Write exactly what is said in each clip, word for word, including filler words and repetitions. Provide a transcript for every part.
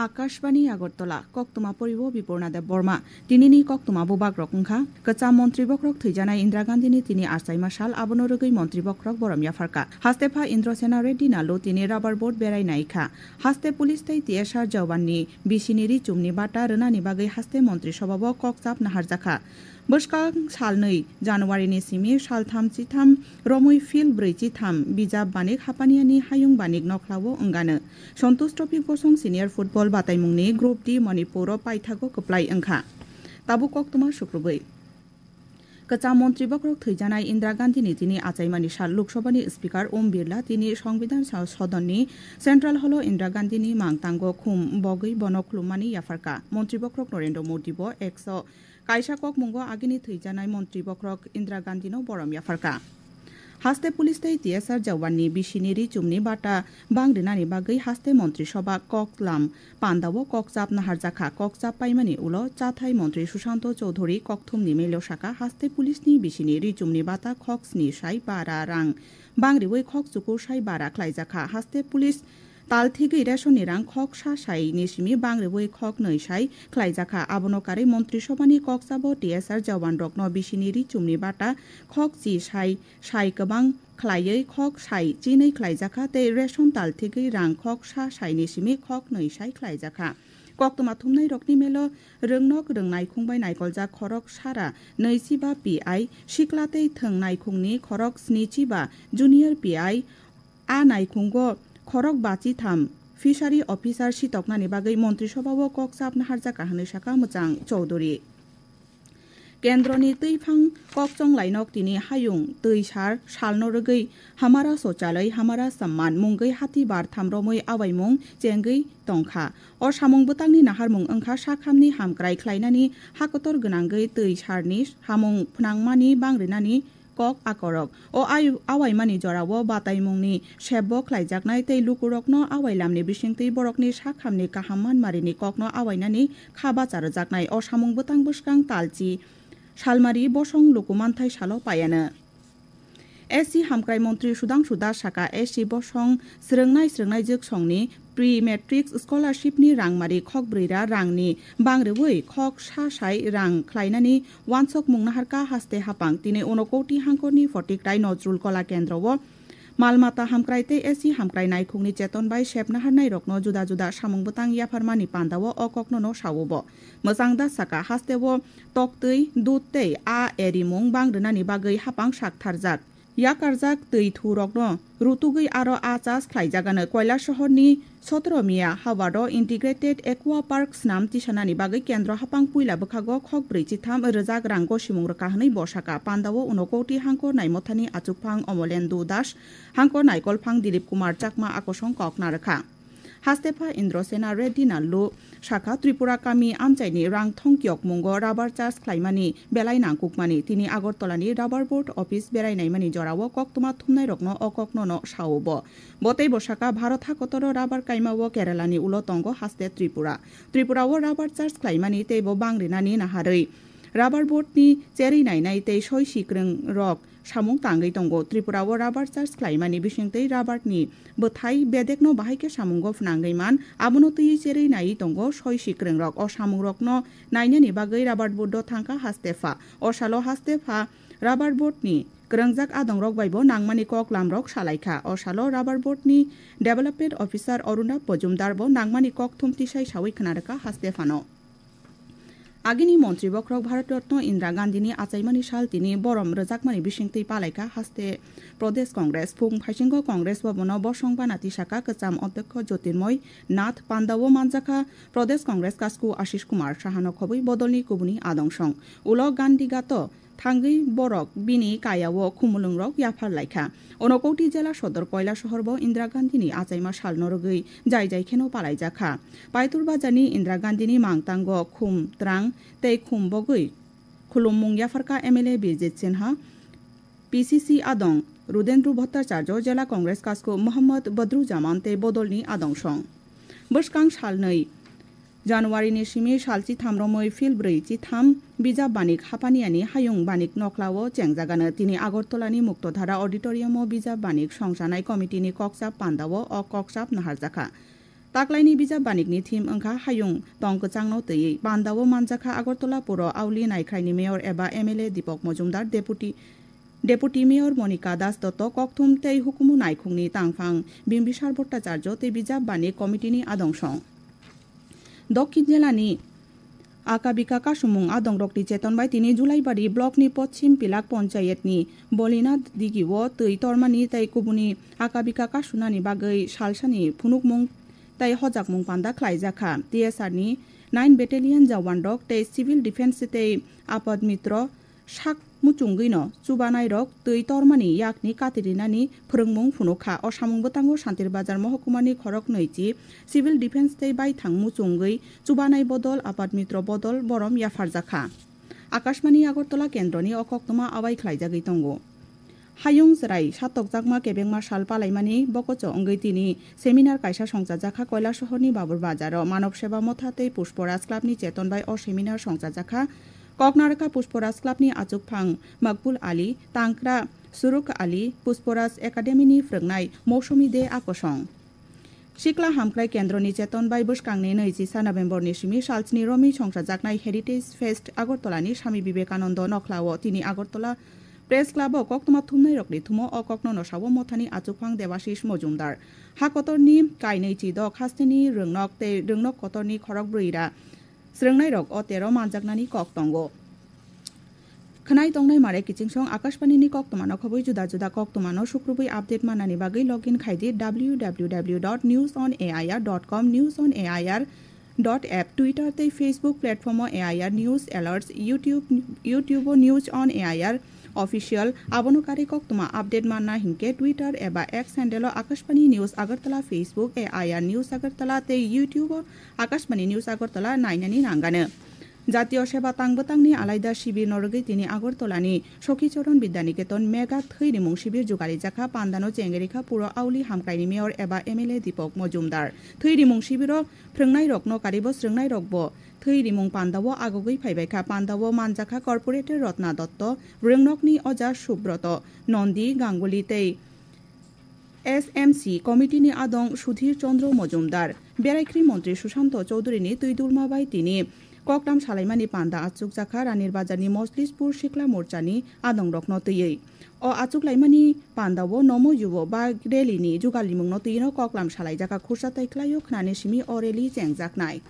Akashbani Agartala, koktwma poribo Biporna Deb Borma. Tinini koktwma bubagrok wngkha, kwcham montri bokhorok thwijanai Indira Gandhini tini achaima sal, abono rwgwi montri bokhorok borom yapharkha. Haste pha Indrasena Reddy Nallu tini rubber boat berai naikha. Haste police tei T S R jawanni bisini ri chumni bata rwnani bagwi haste montri sobao kok chap naharjakha. Bwskang salnwi January ni simi saltham chitham romwi field brwi chitham bijap banik hapaniani hayung banik nokhlao wngano. Santosh Trophy bosong senior football bataimungni Group D Manipur o paithago kwplai wngkha. Tabuk koktwma sukrubwi. Kwcham montri bokhorok thwijanai Indira Gandhini tini achaimani sal Lok Sabhani Speaker Om Birla tini Songbidan sa-, Sodonni Central Hall o Indira Gandhini mangtango khum bogwi bono khulummani yapharkha. Montri bokhorok Narendra Modi bo X o kaisa kokmungo agini thwijanai montri bokhorok Indira Gandhino borom yapharkha. Haste police tei T S R jawanni bisini ri chumni bata bang rinani bagwi haste montri soba kok lam pandao kok chap naharjakha. Kok chap paimani ulo chathai montri Sushanto Chowdhury kokthumni mail o sakha, haste police ni bisini ri chumni bata khok sni sai bara rang bang riwi khok chukur sai bara khlaijakha. Haste police tal thigwi ration ni rang khok sa sai ni simi bang riwi khok nwi sai khlaijakha. Abono karwi montri sobani kok chabo T S R jawan rokno bisini ri chumni bata khok chi sai sai kwbang khlaiwi khok sai chinwi khlaijakha tei ration tal thigwi rang khok sa sai ni simi khok nwi sai khlaijakha. Koktwma thumnai rokni melo rwngnok rwngnaikhung bai naikoljak khorok sara nwi chiba P I, sikla tei thwng naikhungni khorok sni chiba junior P I, a naikhungo khorok bachi tham fishery officer sitoknani bagwi montri sobao kok chap naharjakha hwnwi sakha Mwchang Chowdhury. Kendroni twiphang kokchong lainok tini hayung twi sar salno rwgwi Hamara Shouchalay, Hamara Samman mungwi hati bar tham romwi awaimung chengwi tongkha. O samung bwtangni naharmung wngkha sakhamni hamkrai khlainani hakotor gwnangwi twi sarni samung phnangmani bang rinani kok akorok. O ai-, awaimani jorao bataimungni sebbo khlaijaknai tei lukurokno awailamni bisingtwi borokni sakhamni kaham manmarini kokno awainani kha bacha rwjaknai. O samung bwtang bwskang talchi salmari bosong luku manthai salo paiano. S C hamkrai montri Sudhangshu Das saka, S C bosong srwngnai srwngnai jwksongni Pre-matric scholarship ni rangmari khok brwi ra rang ni bang rwui khok sa sai rang khlainani wansok mung naharkha haste hapang. Tini Unakoti hangkor ni Photikrai Nojrul Kola Kendro o mal mata hamkrai tei S C hamkrai naikhung ni cheton bai sep naharnai rokno juda juda samung bwtang yapharmani panda o o kokno no sao bo. Mwchang da saka haste o toktwi, dudh tei a erimung bang rwnani bagwi hapang sak tharjak. Yakarjak twi thu rokno rutugwi aro a chas khlaijagano. Koilasohor ni sotoro Miya Hawar o Integrated Aqua Park snam tisanani bagwi kendro hapang puila bwkhago khok brwi chitham rwjak rang gosimung rwkha hwnwi bo saka. Panda o Unakoti hangkor naimothani achukphang Omolendu Das, hangkor naikolphang Dilip Kumar Chakma a kosong kok narwkha. Hastepha Indrasena Reddy Nallu sakha, Tripura kami amchaini rang thong kiyokmungo rubber charge khlaimani belai nangkukmani. Tini Agartala ni rubber board office berai naimani jorao koktwma thumnairokno o kokno no sao bo. Bo teibo sakha, Bharat hakotoro rubber kaimao Kerala ni ulo tongo haste Tripura. Tripura o rubber charge khlaimani teibo bang rinani naharwi rubber board ni cherwi nainai tei soi sikrwng rok samung tangwi tongo. Tripura o rubber charge khlaimani bisingtwi rubber ni bwthai bedekno bahai khe samungo phnangwi man, abono twiwi cherwi naiwi tongo soi sikrwng rok. O samung rokno nainani bagwi rubber board o thangkha hastepha. O salo hastepha rubber board ni kwrwngjak adong rok bai bo nangmani kok lam rok salaikha. O salo rubber board ni development officer Arunab Majumdar bo nangmani kok thum tisai sawi khna rwkha hastephano. Agini montri bokhorok Bharat Ratna Indira Gandhini achaimani sal tini borom rwjakmani bisingtwi palaikha haste Pradesh Congress. Phung phaisingo Congress bhabono bosong bana tisaka kwcham odhyokkho Jyotirmoy Nath Pandao manjakha Pradesh Congress kasku Ashish Kumar Sahano khobwi bodolni kubuni adongsong. Ulo Gandhigato thangwi borok bini kayao khumulwngrok yaphar laikha. Unakoti jela sodor Koilasohor bo Indira Gandhini achaima salno rwgwi jai jai kheno palaijakha. Paitur Bazarni Indira Gandhini mangtango khum twrang tei khum bogwi khulummung yapharkha M L A Bijit Sinha, P C C adong Rudendra Bhattacharya, jela Congress kasku Mohammad Badruzzaman tei bodolni adongsong. Bwskang salnwi January ni simi salchi tham romwi phil brwi chi tham bijap banik hapaniani hayung banik nokhlao chengjagano. Tini Agartala ni Muktodhara Auditorium o bijap banik songchanai committee ni kokchap pandao o kokchap naharjakha. Taklaini bijap banikni theme wngkha Hayung tong kwchangno twiwi. Pandao manjakha Agartala Puro Auli Naikhraini Mayor eba M L A Deepak Majumdar, Deputy, Deputy Mayor Monika Das Dotto, kokthum tei hukumu naikhungni tangphang Bimbisar Bhattacharya tei bijap banik committee-ni adong song. Dokhin jilani Akabika kasumung adongrokni cheton bai tini Julaibari blockni Pochim Pilak Ponchayetni Bolinath Digio twi tormani tei kubuni Akabika kasunani bagwi salsani phunukmung tei hojakmung panda khlaijakha. T S R ni nine Battalion jawanrok tei Civil Defence tei Apad Mitro sak muchungwino chubanairok twi tormani yakni katirinani phwrwngmung phunukha. O samung bwtango Santir Bazar Mohokuma ni khorok nwi chi Civil Defence tei baithang muchungwi chubanai bodol Apat Mitro bodol borom yapharjakha. Akashmani Agartala kendroni o koktwma abai khlaijagwi tongo. Hayung chwrai satokjakma kebengma sal palaimani bokocho wngwi tini seminar kaisa songchajakha Koilasohorni Babur Bazaro. Manav Seva Motha tei Pushparaj Clubni cheton bai o seminar songchajakha. Koknarwkha Pushparaj Clubni achukphang Makbul Ali, Tangkra Suruk Ali, Pushparaj Academyni phwrwngnai Mousumi De Akosong. Sikla Hamkrai Kendroni cheton bai bwskangni nwi chisa Novemberni simi salsni romwi songchajaknai Heritage Fest Agartalani Swami Vivekananda Nokhlao tini Agartala Press Clubo koktwma thumnairokni thumo o kokno nosao Mothani achukphang Debashis Mojumdar. Ha kotorni kainwi chidok hasteni rwngnok tei rwngnok kotorni khorok brwi ra srwngnairok o tero manjaknani kok tongo. Khwnai tongnai mare kichingsong Akashbanini koktwmano khobwi juda juda koktwmano sukrubwi update mannani bagwi login khai di W W W dot news on A I R dot com, News on A I R dot app, Twitter tei Facebook platformo A I R News Alerts, YouTube, YouTubeo News on A I R Official. Abono karwi koktwma update manna hinkhe Twitter eba X handleo Akashbani News Agartala, Facebook A I R News Agartala tei YouTubeo Akashbani News Agartala nainani nanganw. Jatiyo Seba Tang Bwtangni alaida shibirno rwgwi tini Agartalani Sokhi Choron Bidyaniketon Mega Thwi Rimung Shibir jugarijak kha. Pandano chengerikha Puro Auli Hamkraini Mayor eba M L A Deepak Mojumdar. Thwi rimung shibiro phrwngnairokno karibo srwngnairokbo thwi rimung pandao agogwi phaibaikha. Pandao manjakha Corporator Rotna Dotto, Rwngnokni Oja Subroto, Nondi Ganguli tei S M C committee-ni adong Sudhir Chandra Mojumdar, Beraikhri Montri Sushanto Chowdhury-ni twi dulma bai tini koklam salaimani panda achukjakha Ranir Bazarni Moslispur Sikla Morchani adongrokno twiwi. O achuklaimani pandao nomo yubo bike rally-ni jugalimungno twino koklam salaijakha. Khursa tai khlaio khnani simi o rally chengjaknai.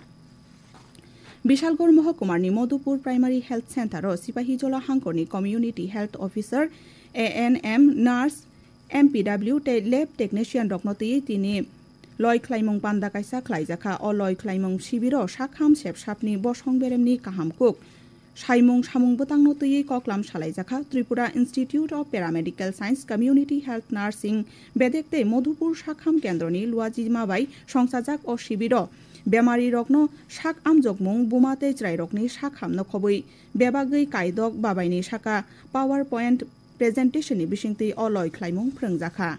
Bishalgarh Mohokumarni Madhupur Primary Health Center-o Sipahijola hangkorni Community Health Officer, A N M, Nurse, M P W tei lab technician rokno twiwi tini loi khlaimung panda kaisa khlaijakha. O loi khlaimung shibiro sakham sepsapni bosong beremni kaham kuk saimung samung bwtangno twiwi koklam salaijakha Tripura Institute of Paramedical Science Community Health Nursing bedek tei Madhupur sakham kendroni luajima bai songchajak o shibiro bemarirokno sak amjokmung buma tei chwrairokni sakhamno khobwi bebagwi kaidok babaini saka PowerPoint presentation-ni bisingtwi o loi khlaimung phrwngjakha.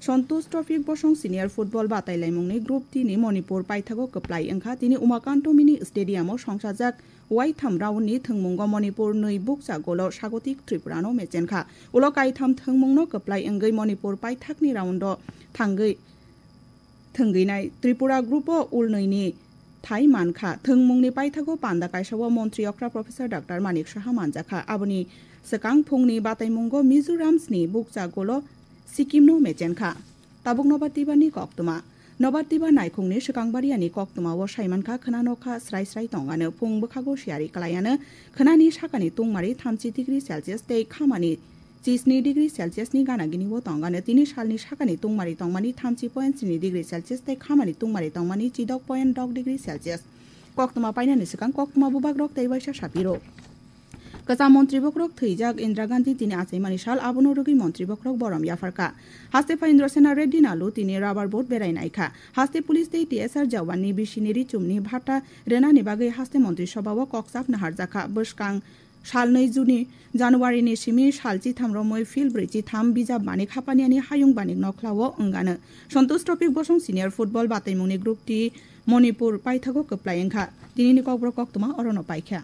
Santosh Trophy bosong senior football batailaimungni Group D-ni Manipur paithago kwplai wngkha. Tini Umakanto Mini Stadium-o songchajak waitham round-ni thwngmungo Manipur nwi bukcha golo Sagotik Tripura-no mechenkha. Ulo kaitham thwngmungno kwplai wngwi Manipur paithakni round-o thangwi thwngwinai Tripura Group-o ulnwini thai mankha. Thwngmungni paithago panda kaisao Montri okra Professor Doctor Manik Saha manjakha. Aboni swkang phungni bataimungo Mizoramsni bukcha golo Sikkim-no mechenkha. Tabuk nobar twibarni koktwma. Nobar twibar naikhungni swkang bariani koktwmao saimankha khwnanokha srai srai tongano. Phung bwkhago siyari kwlaiano khwnani sakani tungmari thamchi degree Celsius tei khamani chisni degree Celsius ni gana gini o tongano. Tini salni sakani tungmari tongmani thamchi point sini degree Celsius tei khamani tungmari tongmani chidok point dok degree Celsius. Koktwma painani swkang koktwma bubagrok tei waisa sapiro. Kwcham montri bokrok thwijak Indira Gandhi tini achaimani sal, abono rwgwi montri bokrok borom yapharkha. Haste Phanindra Sena Reddy Nalu tini rubber boat berai naikha. Haste police tei T S R jawanni bisini richumni bhata rwnani bagwi haste montri sobao kokchap naharjakha. Bwskang Salnwi Juni, January ni simi sal chitham romwi fil brwi chitham bijap banik hapaniani hayung banik nokhlao wngano. Santosh Tropik bosong senior football bataimungni Group T Manipur paithago kwplai wngkha. Tinini kokborok koktwma orono paikha.